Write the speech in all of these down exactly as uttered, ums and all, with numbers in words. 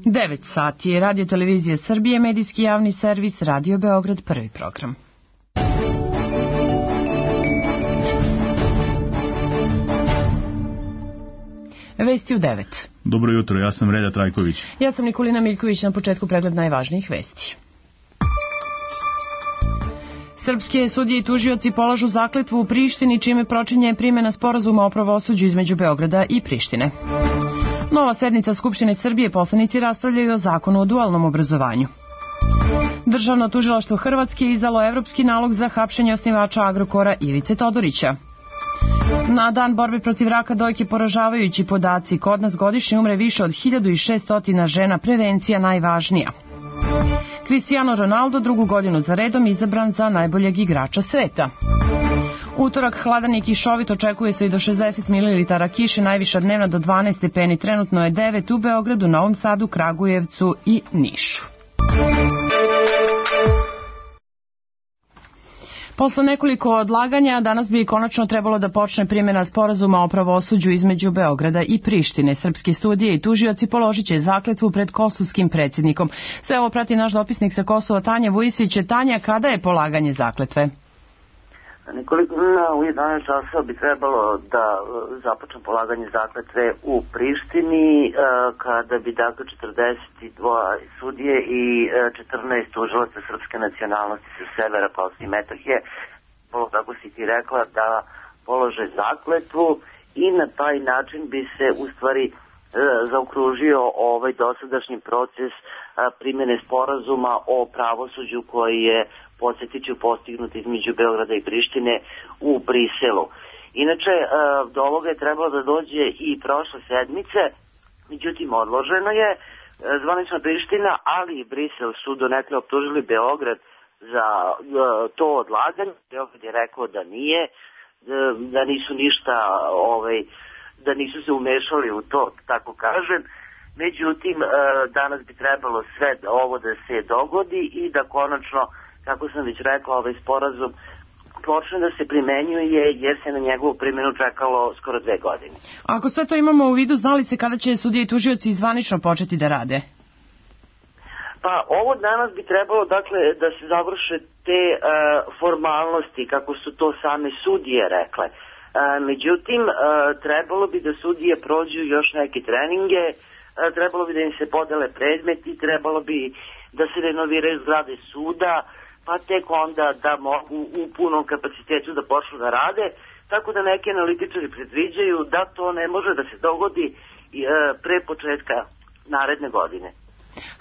devet sati je Radio Televizija Srbije, medijski javni servis, Radio Beograd, prvi program. Vesti u devet. Dobro jutro, ja sam Relja Trajković. Ja sam Nikolina Miljković, na početku pregled najvažnijih vesti. Srpske sudije i tužioci polažu zakletvu u Prištini, čime počinje primjena sporazuma o pravosuđu između Beograda i Prištine. Nova sednica Skupštine Srbije, poslanici raspravljaju o zakonu o dualnom obrazovanju. Državno tužilaštvo Hrvatske je izdalo evropski nalog za hapšenje osnivača Agrokora Ivice Todorića. Na dan borbe protiv raka dojke poražavajući podaci. Kod nas godišnje umre više od hiljadu šesto žena, prevencija najvažnija. Cristiano Ronaldo drugu godinu za redom izabran za najboljeg igrača sveta. Utorak hladan i kišovit, očekuje se i do šezdeset mililitara kiše, najviša dnevna do dvanaest stepeni, trenutno je devet u Beogradu, Novom Sadu, Kragujevcu i Nišu. Posle nekoliko odlaganja, danas bi konačno trebalo da počne primjena sporazuma o pravosuđu između Beograda i Prištine. Srpski sudije i tužioci položit će zakletvu pred kosovskim predsjednikom. Sve ovo prati naš dopisnik sa Kosova, Tanja Vujisić. Tanja, kada je polaganje zakletve? Nekoliko u jedanaest časova bi trebalo da započne polaganje zakletve u Prištini, kada bi dakle četrdeset dva sudije i četrnaest tužilaca srpske nacionalnosti sa severa Kosova i Metohije, tako si ti rekla, da polože zakletvu i na taj način bi se u stvari zaokružio ovaj dosadašnji proces primjene sporazuma o pravosuđu koji je, podsjetit ću, postignut između Beograda i Prištine u Briselu. Inače, do ovoga je trebalo da dođe i prošle sedmice, međutim odloženo je. Zvanična Priština, ali i Brisel su donekle optužili Beograd za to odlaganje. Beograd je rekao da nije, da nisu ništa, ovaj, da nisu se umešali u to, tako kažem. Međutim, danas bi trebalo sve ovo da se dogodi i da konačno, kako sam već rekla, ovaj sporazum počne da se primenjuje, jer se na njegovu primjenu čekalo skoro dve godine. Ako sve to imamo u vidu, znali se kada će sudije i tužioci zvanično početi da rade? Pa ovo danas bi trebalo, dakle, da se završe te uh, formalnosti, kako su to same sudije rekle. Uh, međutim, uh, trebalo bi da sudije prođu još neke treninge, uh, trebalo bi da im se podele predmeti, trebalo bi da se renoviraju zgrade suda, pa tek onda da mogu u punom kapacitetu da počnu da rade, tako da neki analitičari predviđaju da to ne može da se dogodi uh, pre početka naredne godine.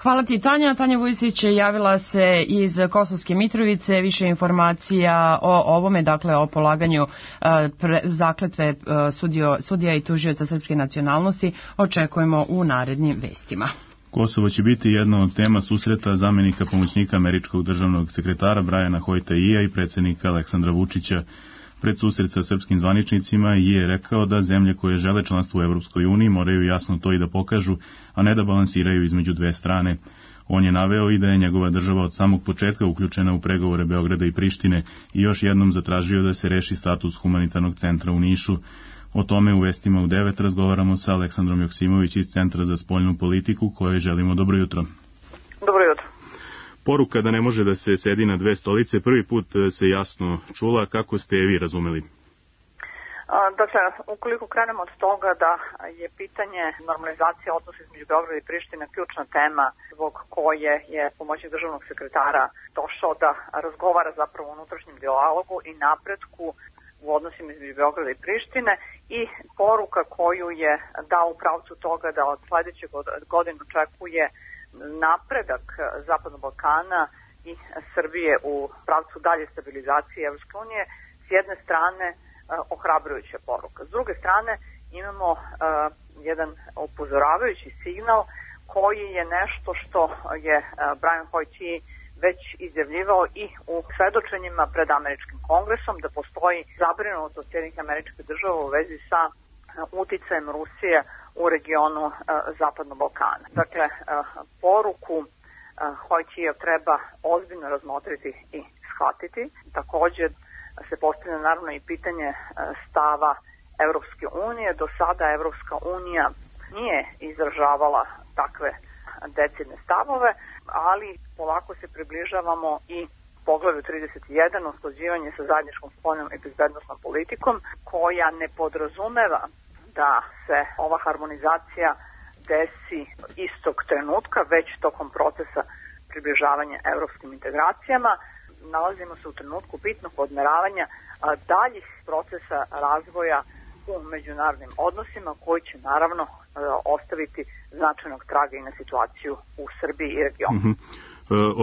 Hvala ti, Tanja. Tanja Vujisić javila se iz Kosovske Mitrovice. Više informacija o ovome, dakle o polaganju uh, pre, zakletve uh, sudio, sudija i tužioca srpske nacionalnosti, očekujemo u narednim vestima. Kosovo će biti jedna od tema susreta zamenika pomoćnika američkog državnog sekretara Briana Hoyta-Ija i predsjednika Aleksandra Vučića. Pred susret sa srpskim zvaničnicima je rekao da zemlje koje žele članstvo u Evropskoj uniji moraju jasno to i da pokažu, a ne da balansiraju između dve strane. On je naveo i da je njegova država od samog početka uključena u pregovore Beograda i Prištine i još jednom zatražio da se reši status humanitarnog centra u Nišu. O tome u vestima u devet razgovaramo sa Aleksandrom Joksimović iz Centra za spoljnu politiku, kojoj želimo dobro jutro. Dobro jutro. Poruka da ne može da se sedi na dve stolice prvi put se jasno čula. Kako ste je vi razumeli? Dakle, ukoliko krenemo od toga da je pitanje normalizacije odnosa između Beograda i Prištine ključna tema zbog koje je pomoćnik državnog sekretara došao da razgovara zapravo o unutrašnjem dijalogu i napretku u odnosima između Beograda i Prištine, i poruka koju je dao u pravcu toga da od sledećeg godine očekuje napredak Zapadnog Balkana i Srbije u pravcu dalje stabilizacije Evropske unije, s jedne strane ohrabrujuća poruka. S druge strane imamo uh, jedan upozoravajući signal koji je nešto što je uh, Brian Hoyt već izjavljivao i u svedočenjima pred američkim kongresom, da postoji zabrinutost Sjedinjenih Američkih Država u vezi sa uh, uticajem Rusije u regionu uh, Zapadnog Balkana. Dakle, uh, poruku uh, Hoyt treba ozbiljno razmotriti i shvatiti. Također se postavlja naravno i pitanje stava Evropske unije. Do sada Evropska unija nije izražavala takve decidne stavove, ali polako se približavamo i poglavlju trideset jedan, usklađivanje sa zajedničkom spoljnom i bezbednosnom politikom, koja ne podrazumeva da se ova harmonizacija desi istog trenutka, već tokom procesa približavanja evropskim integracijama. Nalazimo se u trenutku bitnog odmeravanja daljih procesa razvoja u međunarodnim odnosima, koji će naravno ostaviti značajnog traga i na situaciju u Srbiji i regionu. Uh-huh.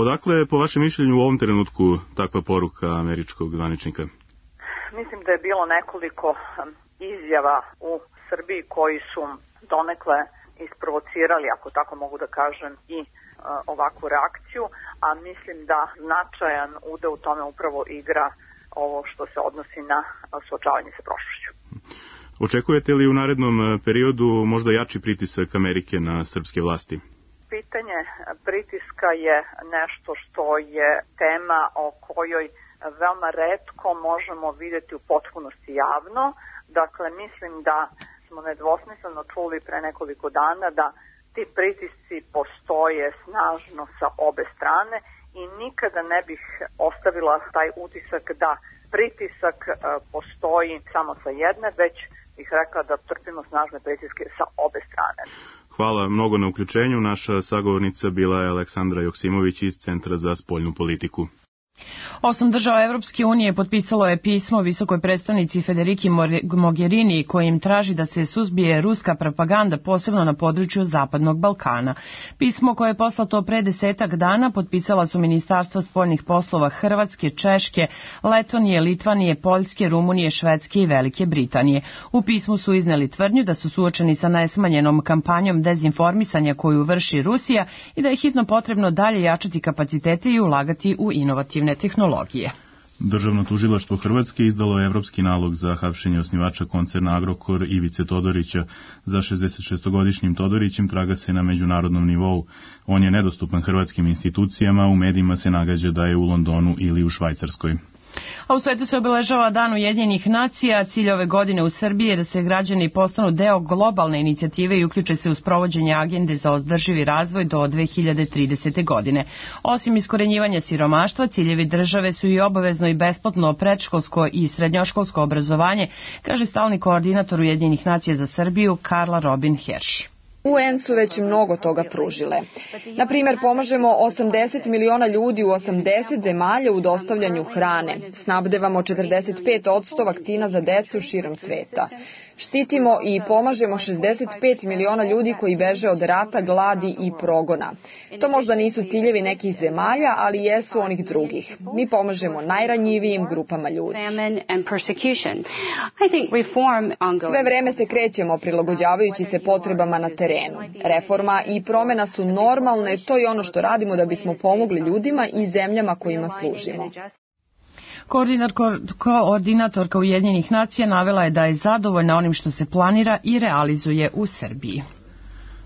Odakle je po vašem mišljenju u ovom trenutku takva poruka američkog zvaničnika? Mislim da je bilo nekoliko izjava u Srbiji koji su donekle isprovocirali, ako tako mogu da kažem, i ovakvu reakciju, a mislim da značajan udeo u tome upravo igra ovo što se odnosi na suočavanje sa prošlošću. Očekujete li u narednom periodu možda jači pritisak Amerike na srpske vlasti? Pitanje pritiska je nešto što je tema o kojoj veoma retko možemo vidjeti u potpunosti javno. Dakle, mislim da smo nedvosmisleno čuli pre nekoliko dana da ti pritisci postoje snažno sa obe strane i nikada ne bih ostavila taj utisak da pritisak postoji samo sa jedne, već bih rekla da trpimo snažne pritiske sa obe strane. Hvala mnogo na uključenju. Naša sagovornica bila je Aleksandra Joksimović iz Centra za spoljnu politiku. Osam država Evropske unije potpisalo je pismo visokoj predstavnici Federiki Mogherini kojim traži da se suzbije ruska propaganda posebno na području Zapadnog Balkana. Pismo koje je poslato pre desetak dana potpisala su ministarstva spoljnih poslova Hrvatske, Češke, Letonije, Litvanije, Poljske, Rumunije, Švedske i Velike Britanije. U pismu su izneli tvrdnju da su suočeni sa nesmanjenom kampanjom dezinformisanja koju vrši Rusija i da je hitno potrebno dalje jačati kapacitete i ulagati u inovativne tehnologije. Državno tužilaštvo Hrvatske izdalo je evropski nalog za hapšenje osnivača koncerna Agrokor Ivice Todorića. Za šezdesetšestogodišnjim Todorićem traga se na međunarodnom nivou. On je nedostupan hrvatskim institucijama, u medijima se nagađa da je u Londonu ili u Švajcarskoj. A u svetu se obeležava Dan Ujedinjenih nacija. Cilj ove godine u Srbiji je da se građani postanu deo globalne inicijative i uključe se u sprovođenje agende za održivi razvoj do dve hiljade tridesete. godine. Osim iskorenjivanja siromaštva, ciljevi države su i obavezno i besplatno predškolsko i srednjoškolsko obrazovanje, kaže stalni koordinator Ujedinjenih nacija za Srbiju Karla Robin Hersh. U en su već mnogo toga pružile. Na primjer, pomažemo osamdeset miliona ljudi u osamdeset zemalja u dostavljanju hrane. Snabdevamo četrdeset pet posto vakcina za decu širom sveta. Štitimo i pomažemo šezdeset pet miliona ljudi koji beže od rata, gladi i progona. To možda nisu ciljevi nekih zemalja, ali jesu onih drugih. Mi pomažemo najranjivijim grupama ljudi. Sve vreme se krećemo prilagođavajući se potrebama na terenu. Reforma i promjena su normalne, to je ono što radimo da bismo pomogli ljudima i zemljama kojima služimo. Koordinatorka Ujedinjenih nacija navela je da je zadovoljna onim što se planira i realizuje u Srbiji.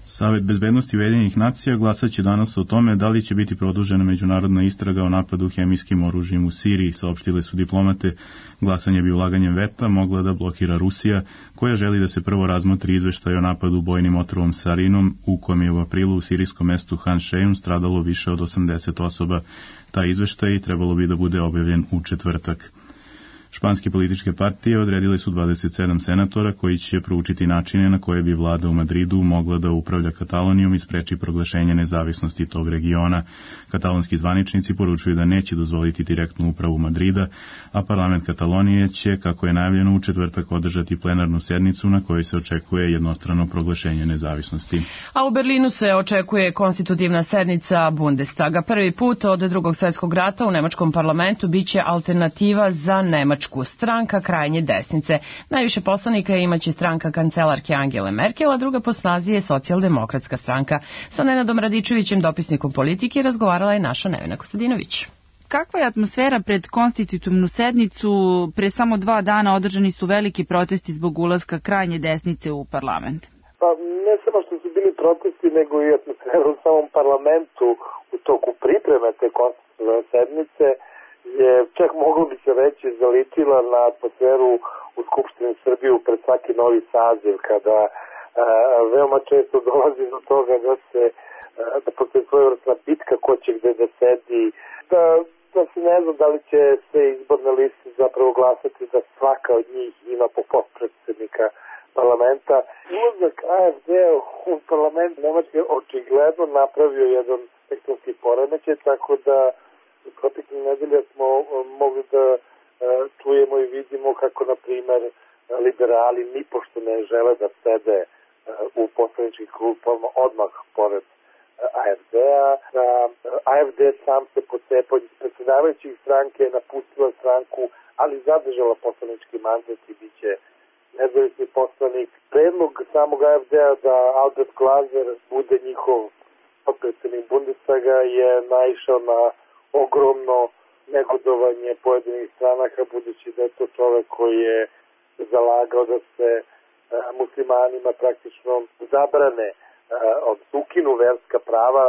Savet bezbednosti Ujedinjenih nacija glasaće danas o tome da li će biti produžena međunarodna istraga o napadu hemijskim oružjem u Siriji, saopštile su diplomate. Glasanje bi ulaganjem veta mogla da blokira Rusija, koja želi da se prvo razmotri izveštaj o napadu bojnim otrovom sarinom, u kojem je u aprilu u sirijskom mestu Han Šejun stradalo više od osamdeset osoba. Taj izveštaj trebalo bi da bude objavljen u četvrtak. Španske političke partije odredile su dvadeset sedam senatora koji će proučiti načine na koje bi vlada u Madridu mogla da upravlja Katalonijom i spreči proglašenje nezavisnosti tog regiona. Katalonski zvaničnici poručuju da neće dozvoliti direktnu upravu Madrida, a parlament Katalonije će, kako je najavljeno, u četvrtak održati plenarnu sednicu na kojoj se očekuje jednostrano proglašenje nezavisnosti. A u Berlinu se očekuje konstitutivna sednica Bundestaga. Prvi put od drugog svjetskog rata u nemačkom parlamentu biće alternativa za Nemačku. Stranka krajnje desnice. Najviše poslanika imaće stranka kancelarke Angele Merkel, a druga po snazi je socijaldemokratska stranka. Sa Nenadom Radičevićem, dopisnikom politike, razgovarala je naša Nevena Kostadinović. Kakva je atmosfera pred konstitutivnu sednicu? Pre samo dva dana održani su veliki protesti zbog ulaska krajnje desnice u parlament. Pa ne samo što su bili protesti, nego i atmosfera u samom parlamentu u toku pripreme te konstitutivne sednice je čak moglo bi se reći zalitila na atmosferu u Skupštini Srbije pred svaki novi saziv, kada a, veoma često dolazi do toga da se da postoji svojevrsna bitka ko će gde da sedi, da, da se ne znam da li će sve izborne liste zapravo glasati da svaka od njih ima po potpredsednika parlamenta. Ulazak A F D-a u parlament Nemačke očigledno napravio jedan tektonski poremećaj, tako da u proteklih nedelja smo mogli da čujemo i vidimo kako, na primer, liberali nipošto ne žele da sede u poslaničkih klupama odmah pored A F D-a. A F D sam se pocepao, predsjedavajućih stranke je napustila stranku, ali zadržala poslanički mandat i bit će nezavisni poslanik. Predlog samog A F D-a da Albert Glaser bude njihov potpredsjednik Bundestaga je naišao na ogromno negodovanje pojedinih stranaka, budući da je to čovek koji je zalagao da se muslimanima praktično zabrane, ukinu verska prava,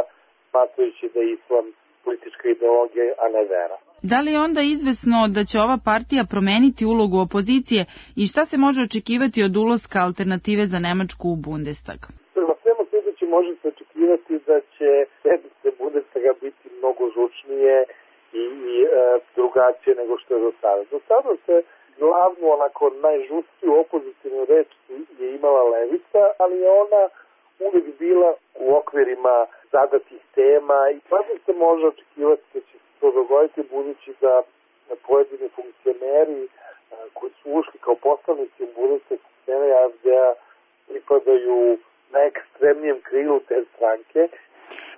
smatrajući da je islam politička ideologija, a ne vera. Da li je onda izvesno da će ova partija promeniti ulogu opozicije i šta se može očekivati od ulaska Alternative za Nemačku u Bundestag? Prema svemu sljedeći može se očekivati da će sednice Bundestaga biti mnogo žučnije i, i e, drugačije nego što je do sada. Do sada se glavno, onako najžustiju opozicijnu reč je imala levica, ali je ona uvijek bila u okvirima zadatih tema i sada se može očekivati da će se to dogoditi, budući da pojedini funkcioneri koji su ušli kao poslanici u Bundestag scene A F D-a pripadaju na ekstremnijem krilu te stranke.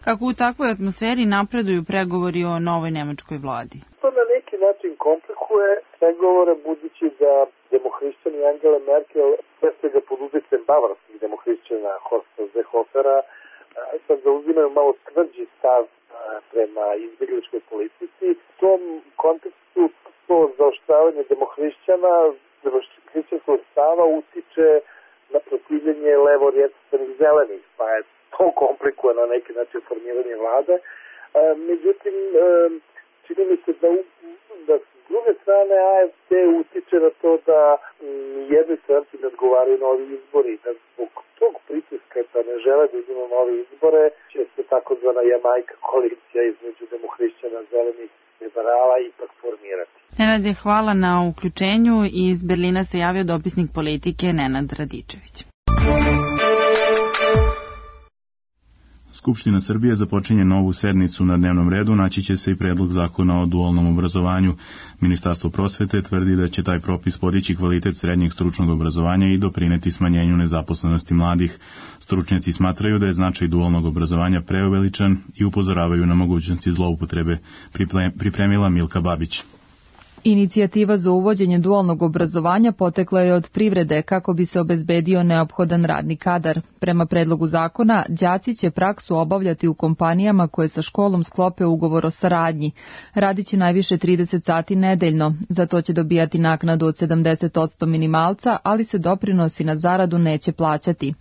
Kako u takvoj atmosferi napreduju pregovori o novoj nemačkoj vladi? To na neki način komplikuje pregovore, budući da demohrišćani Angela Merkel, sve svega pod utjecajem bavarskih demohrišćana Horsta Seehofera, sad zauzimaju malo tvrđi stav prema izbjegličkoj politici. U tom kontekstu to zaoštravanje demohrišćana, demohrišćanskog stava utiče na protivljenje levo-rjecostvenih zelenih, pa je to komplikuje na neki način formiranje vlade. Međutim, čini mi se da, da s druge strane A F D utiče na to da jedni stranci ne odgovaraju na ovi izbori, da zbog tog pritiska da ne žele da idemo na ove izbore, će se takozvana Jamajka koalicija između demohrišćana, zelenih, liberala ipak formirati. Nenade, hvala na uključenju. Iz Berlina se javio dopisnik Politike Nenad Radičević. Skupština Srbije započinje novu sednicu. Na dnevnom redu naći će se i predlog zakona o dualnom obrazovanju. Ministarstvo prosvete tvrdi da će taj propis podići kvalitet srednjeg stručnog obrazovanja i doprineti smanjenju nezaposlenosti mladih. Stručnjaci smatraju da je značaj dualnog obrazovanja preuveličan i upozoravaju na mogućnosti zloupotrebe, pripremila Milka Babić. Inicijativa za uvođenje dualnog obrazovanja potekla je od privrede kako bi se obezbedio neophodan radni kadar. Prema predlogu zakona, đaci će praksu obavljati u kompanijama koje sa školom sklope ugovor o saradnji. Radiće najviše trideset sati nedeljno. Za to će dobijati naknadu od sedamdeset posto minimalca, ali se doprinosi na zaradu neće plaćati.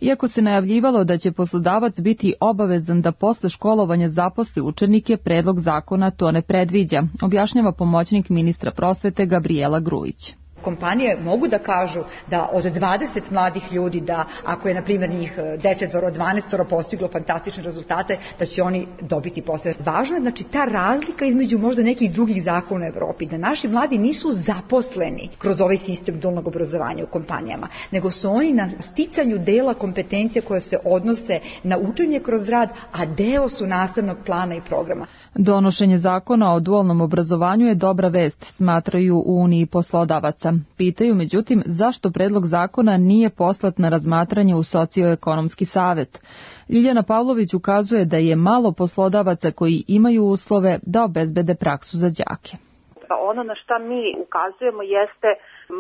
Iako se najavljivalo da će poslodavac biti obavezan da posle školovanja zaposli učenike, predlog zakona to ne predviđa, objašnjava pomoćnik ministra prosvete Gabriela Grujić. Kompanije mogu da kažu da od dvadeset mladih ljudi, da ako je na primjer njih deset do dvanaest postiglo fantastične rezultate, da će oni dobiti posao. Važno je znači ta razlika između možda nekih drugih zakona u Evropi, da naši mladi nisu zaposleni kroz ovaj sistem dualnog obrazovanja u kompanijama, nego su oni na sticanju dela kompetencija koje se odnose na učenje kroz rad, a deo su nastavnog plana i programa. Donošenje zakona o dualnom obrazovanju je dobra vest, smatraju u Uniji poslodavaca. Pitaju, međutim, zašto predlog zakona nije poslat na razmatranje u Socioekonomski savet. Ljiljana Pavlović ukazuje da je malo poslodavaca koji imaju uslove da obezbede praksu za đake. Ono na šta mi ukazujemo jeste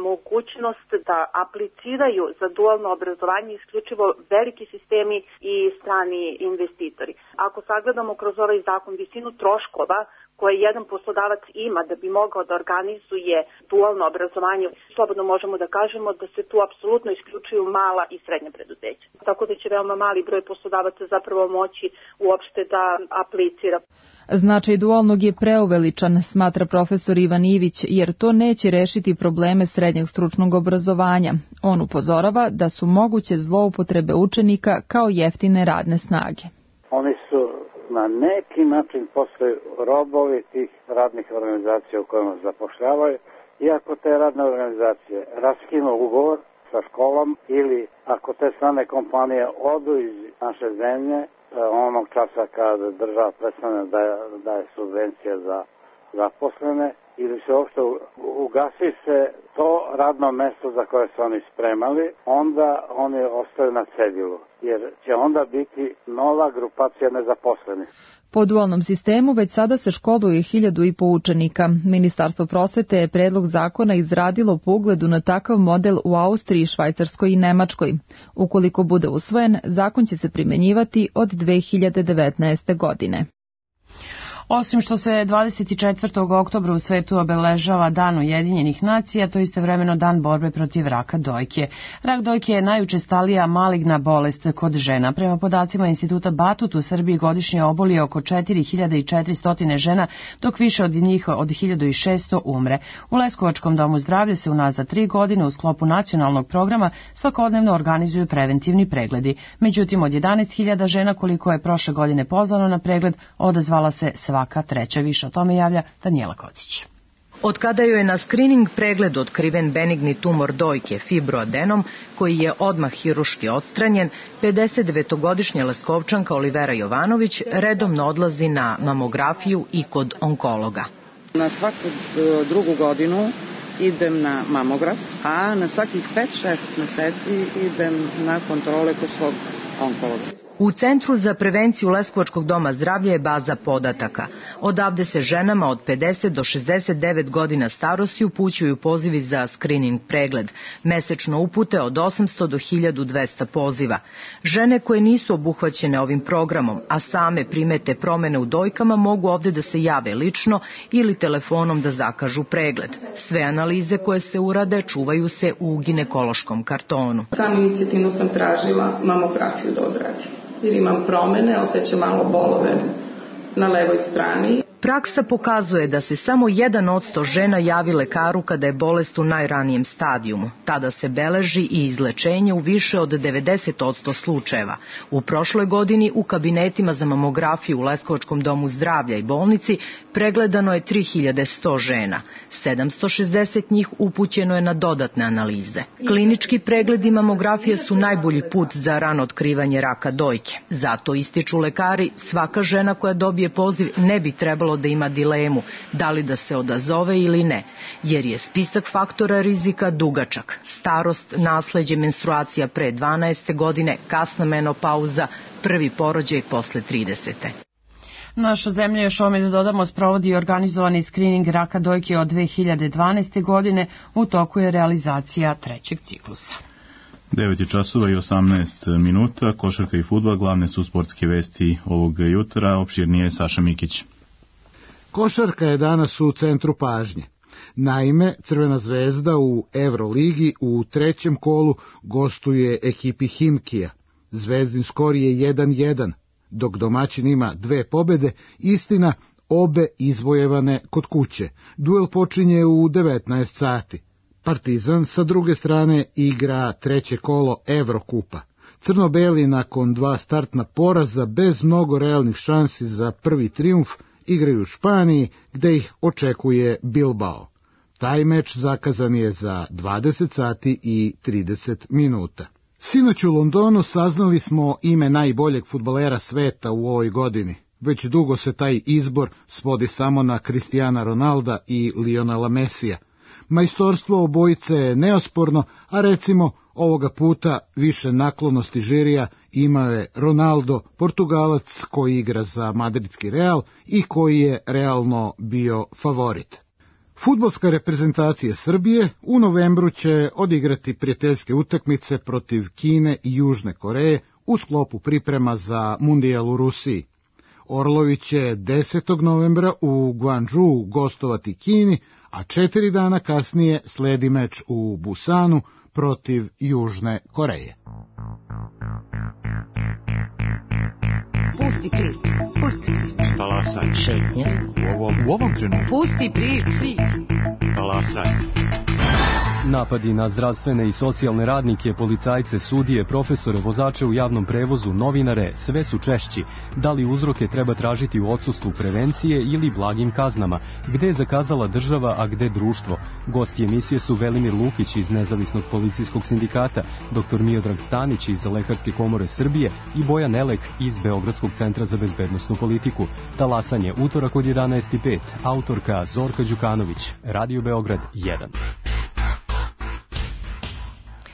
mogućnost da apliciraju za dualno obrazovanje isključivo veliki sistemi i strani investitori. Ako sagledamo kroz ovaj zakon visinu troškova koje jedan poslodavac ima da bi mogao da organizuje dualno obrazovanje, slobodno možemo da kažemo da se tu apsolutno isključuju mala i srednja preduzeća. Tako da će veoma mali broj poslodavaca zapravo moći uopšte da aplicira. Značaj dualnog je preuveličan, smatra profesor Ivan Ivić, jer to neće rešiti probleme srednjeg stručnog obrazovanja. On upozorava da su moguće zloupotrebe učenika kao jeftine radne snage. Oni su na neki način postaju robovi tih radnih organizacija u kojima zapošljavaju, iako te radne organizacije raskinu ugovor sa školom ili ako te strane kompanije odu iz naše zemlje, onog časa kada država prestane da daje subvencije za zaposlene ili se uopšte ugasi se to radno mesto za koje su oni spremali, onda oni ostaju na cedilu, jer će onda biti nova grupacija nezaposlenih. Po dualnom sistemu već sada se školuje hiljadu i po učenika. Ministarstvo prosvete je predlog zakona izradilo po ugledu na takav model u Austriji, Švajcarskoj i Nemačkoj. Ukoliko bude usvojen, zakon će se primenjivati od dve hiljade devetnaeste. godine. Osim što se dvadeset četvrtog oktobra u svetu obeležava Dan Ujedinjenih nacija, to je istovremeno dan borbe protiv raka dojke. Rak dojke je najučestalija maligna bolest kod žena. Prema podacima Instituta Batut u Srbiji godišnje oboli oko četiri hiljade četiristo žena, dok više od njih od hiljadu šesto umre. U Leskovačkom domu zdravlja se unazad tri godine u sklopu nacionalnog programa svakodnevno organizuju preventivni pregledi. Međutim, od jedanaest hiljada žena koliko je prošle godine pozvano na pregled, odazvala se svaka treća. Više o tome javlja Danijela Kocić. Od kada joj je na skrining pregled otkriven benigni tumor dojke fibroadenom, koji je odmah hiruški odstranjen, pedesetdevetogodišnja Leskovčanka Olivera Jovanović redovno odlazi na mamografiju i kod onkologa. Na svaku drugu godinu idem na mamograf, a na svakih pet šest meseci idem na kontrole kod svog onkologa. U Centru za prevenciju Leskovačkog doma zdravlja je baza podataka. Odavde se ženama od pedeset do šezdeset devet godina starosti upućuju pozivi za skrining pregled. Mesečno upute od osamsto do hiljadu dvesta poziva. Žene koje nisu obuhvaćene ovim programom, a same primete promene u dojkama, mogu ovde da se jave lično ili telefonom da zakažu pregled. Sve analize koje se urade čuvaju se u ginekološkom kartonu. Sam inicijativno sam tražila mamografiju da odradim, jer imam promene, osjećam malo bolove na levoj strani. Praksa pokazuje da se samo jedan odsto žena javi lekaru kada je bolest u najranijem stadijumu. Tada se beleži i izlečenje u više od devedeset odsto slučajeva. U prošloj godini u kabinetima za mamografiju u Leskovačkom domu zdravlja i bolnici pregledano je tri hiljade sto žena. sedamsto šezdeset njih upućeno je na dodatne analize. Klinički pregledi mamografije su najbolji put za rano otkrivanje raka dojke. Zato ističu lekari, svaka žena koja dobije poziv ne bi trebalo da ima dilemu da li da se odazove ili ne, jer je spisak faktora rizika dugačak. Starost, nasleđe, menstruacija pre dvanaeste godine, kasna menopauza, prvi porođaj posle tridesete. Naša zemlja, još ovome da dodamo, sprovodi organizovani skrining raka dojke od dve hiljade dvanaeste. godine, u toku je realizacija trećeg ciklusa. devet časova i osamnaest minuta, košarka i fudbal, glavne su sportske vesti ovog jutra, opširnije Saša Mikić. Košarka je danas u centru pažnje. Naime, Crvena zvezda u Evroligi u trećem kolu gostuje ekipi Himkija. Zvezdin skor je jedan jedan, dok domaćin ima dve pobede, istina obe izvojevane kod kuće. Duel počinje u devetnaest sati. Partizan sa druge strane igra treće kolo Evrokupa. Crno-beli nakon dva startna poraza bez mnogo realnih šansi za prvi trijumf igraju u Španiji, gde ih očekuje Bilbao. Taj meč zakazan je za dvadeset sati i trideset minuta. Sinoć u Londonu saznali smo ime najboljeg fudbalera sveta u ovoj godini. Već dugo se taj izbor svodi samo na Cristiana Ronalda i Lionela Messija. Majstorstvo obojice je neosporno, a recimo ovoga puta više naklonosti žirija imao je Ronaldo, Portugalac koji igra za madridski Real i koji je realno bio favorit. Fudbalska reprezentacija Srbije u novembru će odigrati prijateljske utakmice protiv Kine i Južne Koreje u sklopu priprema za Mundijal u Rusiji. Orlovi će desetog novembra u Guangzhou gostovati Kini, a četiri dana kasnije sledi meč u Busanu protiv Južne Koreje. Pusti ključ, pusti ključ. Talasaj. Šetnja. U ovom, u ovom trenutku. Pusti prič, svit. Talasaj. Napadi na zdravstvene i socijalne radnike, policajce, sudije, profesore, vozače u javnom prevozu, novinare, sve su češći. Da li uzroke treba tražiti u odsustvu prevencije ili blagim kaznama? Gde je zakazala država, a gde društvo? Gosti emisije su Velimir Lukić iz Nezavisnog policijskog sindikata, doktor Miodrag Stanić iz Lekarske komore Srbije i Bojan Elek iz Beogradskog centra za bezbednosnu politiku. Talasanje, utorak od jedanaest i pet, autorka Zorka Đukanović, Radio Beograd jedan.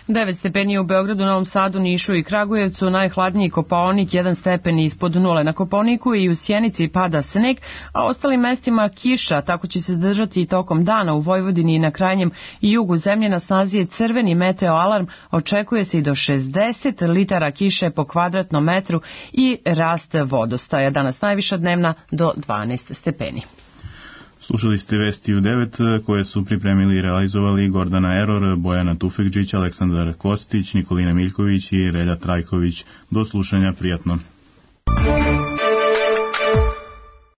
devet stepeni u Beogradu, Novom Sadu, Nišu i Kragujevcu, najhladniji Kopaonik jedan stepen ispod nule. Na Kopaoniku i u Sjenici pada sneg, a ostalim mestima kiša, tako će se držati i tokom dana u Vojvodini i na krajnjem i jugu zemlje. Na snazi je crveni meteo alarm, očekuje se i do šezdeset litara kiše po kvadratnom metru i rast vodostaja. Danas najviša dnevna do dvanaest stepeni. Slušali ste vesti u devet koje su pripremili i realizovali Gordana Eror, Bojana Tufekđić, Aleksandar Kostić, Nikolina Miljković i Relja Trajković. Do slušanja, prijatno.